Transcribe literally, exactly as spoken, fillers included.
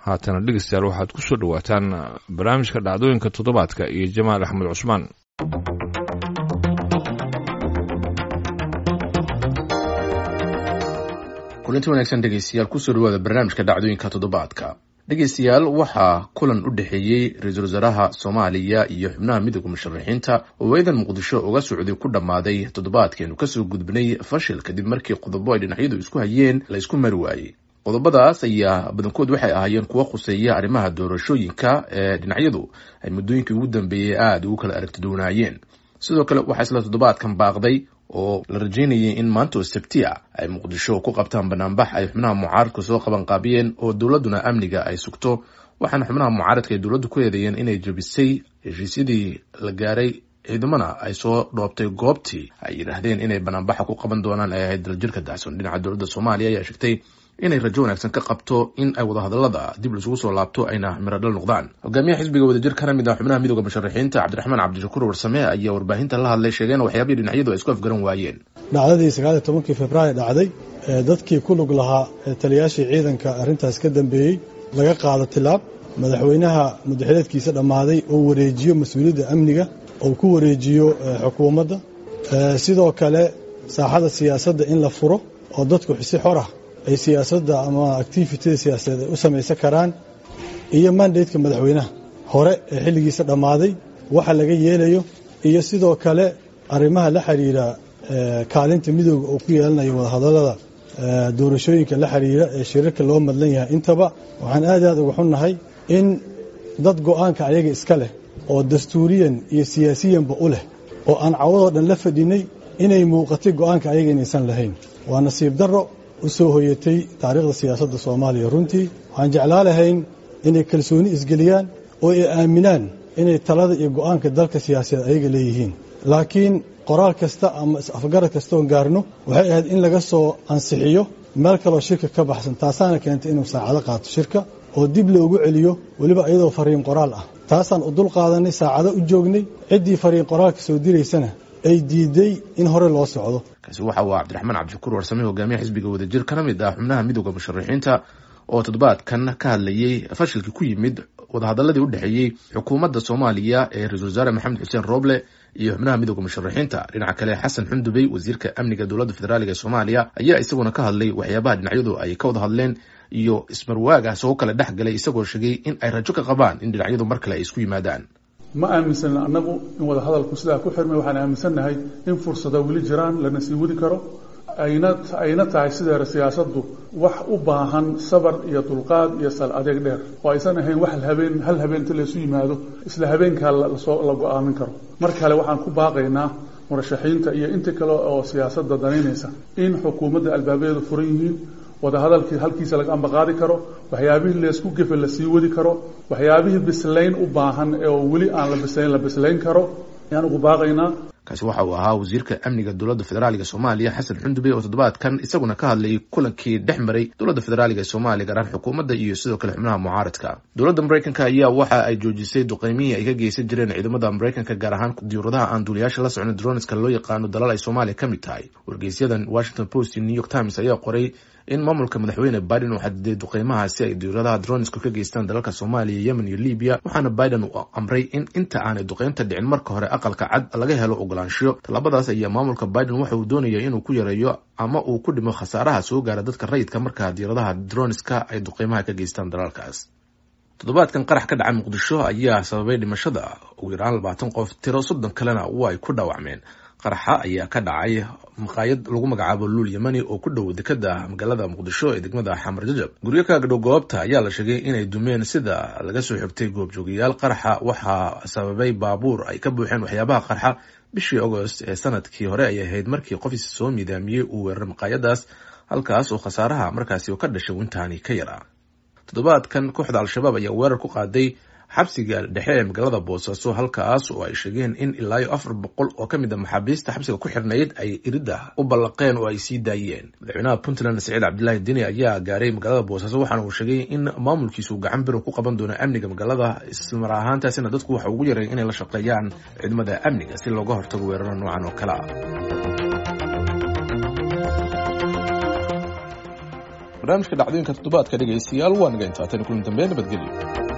Haatana dhegeystayaal, waxaad ku soo dhowaataan barnaamijka dhacdooyinka toddobaadka iyo Jamaal Axmed Cusmaan. Kulanti wanaagsan dhegeystayaal, kusoo dhawaada barnaamijka dhacdooyinka toddobaadka. Dhegeystayaal, waxaa kulan u dhexeeyey ra-iisul wasaaraha Soomaaliya iyo xubnaha midooda musharaxiinta oo eedan Muqdisho uga socday ku dhammaaday toddobaadkeenu kasoo gudbnay fashil, kadib markii qodobo ay dhinacyadu isku hayeen la isku mari waayey. Qodobadaas ayaa badankood waxay ahaayeen kuwo khuseeya arrimaha doorashooyinka ee dhinacyadu ay muddooyinkii ugu dambeeyey aada ugu kala aragtidoonaayeen. Sidoo kale waxaa isla toddobaadkan baaqday oo la rajeynayay in maanta oo sabti a ay Muqdisho ku qabtaan banaanbax ay xubnaha mucaaradku soo qabanqaabiyeen oo dowladduna amniga ay sugto, waxaana xubnaha mucaaradka ay dowladdu ku eedeeyeen inay jebisay heshiisyadii la gaaray, ciidamana ay soo dhoobtay goobtii ay yidhaahdeen inay banaanbaxa ku qaban doonaan ay ahayd Daljirka Dacson. Dhinaca dowladda Soomaaliya ayaa sheegtay inay rajo wanaagsan ka qabto in ay wadahadalada dib laisugu soo laabto ayna miradhal noqdaan. Hogaamiyaha xisbiga Wadajir kana mid ah xubnaha midooda musharaxiinta, Cabdiraxmaan Cabdishakuur Warsame, ayaa warbaahinta la hadlay, sheegeen waxyaabihii dhinacyadu ay isku afgaran waayeen. Dhacdadii sagaaliyo tobankii Februaayo dhacday ee dadkii ku lug lahaa ee taliyaashii ciidanka arrintaas ka dambeeyey laga qaado tilaab, madaxweynaha mudaxileedkiisa dhammaaday oo wareejiyo mas-uuliyadda amniga oo ku wareejiyo xukuumadda, sidoo kale saaxada siyaasadda in la furo oo dadku si xor ah ay siyaasadda ama activityda siyaasadeed ay u samaysan karaan, iyo mandateka madaxweynaha hore ee xilligiisa dhammaaday waxa laga yeelayo, iyo sidoo kale arrimaha la xiriira kaalinta midooda oo ku yeelanayo wadahadallada doorashooyinka la xiriira ee shirarka loo madlan yahay. Intaba waxaan aad aad uga xunnahay in dad go'aanka ayaga iska leh oo dastuuriyan iyo siyaasiyanba u leh oo aan cawadoo dhan la fadhinay inay muuqatay go'aanka ayaga inaysan lahayn. Waa nasiib darro u soo hoyatay taariikhda siyaasadda Soomaaliya. Runtii waxaan jeclaa lahayn inay kalsooni isgeliyaan oo ay aaminaan inay talada iyo go'aanka dalka siyaasadeed ayaga leeyihiin, laakiin qoraal kasta ama is-afgarad kasta oon gaarno waxay ahayd in laga soo ansixiyo meel kaloo shirka ka baxsan. Taasaana keentay inuu saacado qaato shirka oo dib loogu celiyo, weliba iyadoo fariin qoraal ah. Taasaan u dul qaadanay, saacado u joognay, ciddii fariin qoraalka soo diraysana ay diiday in hore loo socdo. Kaasi waxa uu Cabdiraxmaan Cabdishakuur Warsame, hogaamiyaha xisbiga Wadajir kana mid ah xubnaha midooda musharaxiinta, oo toddobaadkan ka hadlayey fashilkii ku yimid wadahadaladii u dhexeeyey xukuumadda Soomaaliya ee ra-isul wasaare Maxamed Xuseen Rooble iyo xubnaha midooda musharaxiinta. Dhinaca kale, Xasan Xundubey, wasiirka amniga dowladda federaaliga ee Soomaaliya, ayaa isaguna ka hadlay waxyaabaha dhinacyadu ay ka wada hadleen iyo ismarwaaga soo kala dhex galay, isagoo sheegay in ay rajo ka qabaan in dhinacyadu mar kale ay isku yimaadaan. Ma aaminsana annagu in wadahadalku sidaa ku xirmay. Waxaan aaminsannahay in fursada weli jiraan, lana sii wadi karo, ayna ayna tahay sideera siyaasaddu wax u baahan sabar iyo dulqaad iyo sal adeeg dheer, oo aysan ahayn wax habeen hal habeenta laysu yimaado isla habeenkaa lasoo la go'aamin karo. Mar kale waxaan ku baaqaynaa murashaxiinta iyo inta kale oo siyaasadda danaynaysa in xukuumadda albaabadeedu furan yihiin, wadahadalkii halkiisa laga ambaqaadi karo, waxyaabihii laysku gefe la sii wadi karo, waxyaabihii bislayn u baahan ee oo weli aan la bislayn la bislayn karo ayaan ugu baaqaynaa. Kaasi waxa uu ahaa wasiirka amniga dowladda federaaliga Soomaaliya, Xasan Xundubey, oo toddobaadkan isaguna ka hadlayay kulankii dhex maray dowladda federaaliga ee Soomaaliya, gaar ahaan xukuumadda iyo sidoo kale xubnaha mucaaradka. Dowladda Maraykanka ayaa waxa ay joojisay duqeymihii ay ka geysan jireen ciidamada Maraykanka, gaar ahaan diyuuradaha aan duuliyaasha la socon, droneska loo yaqaano, dalal ay Soomaaliya ka mid tahay. Wargeysyadan Washington Post iyo New York Times ayaa qoray in maamulka madaxweyne Biden uu xadiday duqeymaha si ay diyuuradaha dronesku ka geystaan dalalka Soomaaliya, Yemen iyo Libiya, waxaana Biden uu amray in inta aanay duqeynta dhicin marka hore Aqalka Cad laga helo ogolaanshiyo. Tallaabadaas ayaa maamulka Biden waxa uu doonaya inuu ku yareeyo ama uu ku dhimo khasaaraha soo gaara dadka rayidka marka diyaaradaha droneska ay duqeymaha ka geystaan dalalkaas. Toddobaadkan qarax ka dhacay Muqdisho ayaa sababay dhimashada ugu yaraan labaatan qof, tiro soddon kalena waa ay ku dhaawacmeen. Qaraxa ayaa ka dhacay maqaayad lagu magacaabo Luul Yamani oo ku dhow dekada magaalada Muqdisho ee degmada Xamar Jajab. Guryo ka agdhow goobta ayaa la sheegay inay dumeen, sida laga soo xigtay goobjoogayaal. Qaraxa waxaa sababay baabuur ay ka buuxeen waxyaabaha qarxa. Bishii Agost ee sanadkii hore ayay ahayd markii qofis soo miidaamiyey uu weeraray maqaayadaas, halkaas oo khasaaraha markaasi ka dhashay wintaani ka yaraa. Toddobaadkan kooxda Al-Shabaab ayaa weerar ku qaaday xabsiga dhexe ee magaalada Boosaaso, halkaas oo ay sheegeen in ilaa iyo afar boqol oo ka mid a maxaabiista xabsiga ku xirnayd ay iridda u ballaqeen oo ay sii daayeen. Madaxweynaha Puntland Saciid Cabdilaahi Deni ayaa gaaray magaalada Boosaaso, waxaana uu sheegay in maamulkiisu gacan biro ku qaban doono amniga magaalada, ismar ahaantaasina dadku waxa ugu yareen inay la shaqeeyaan ciidamada amniga si looga hortago weeraro noocan oo kale ah. Barnaamijka dhacdooyinka toddobaadka dhegaystayaal waa naga intaatan, kulan dambe, nabadgelyo.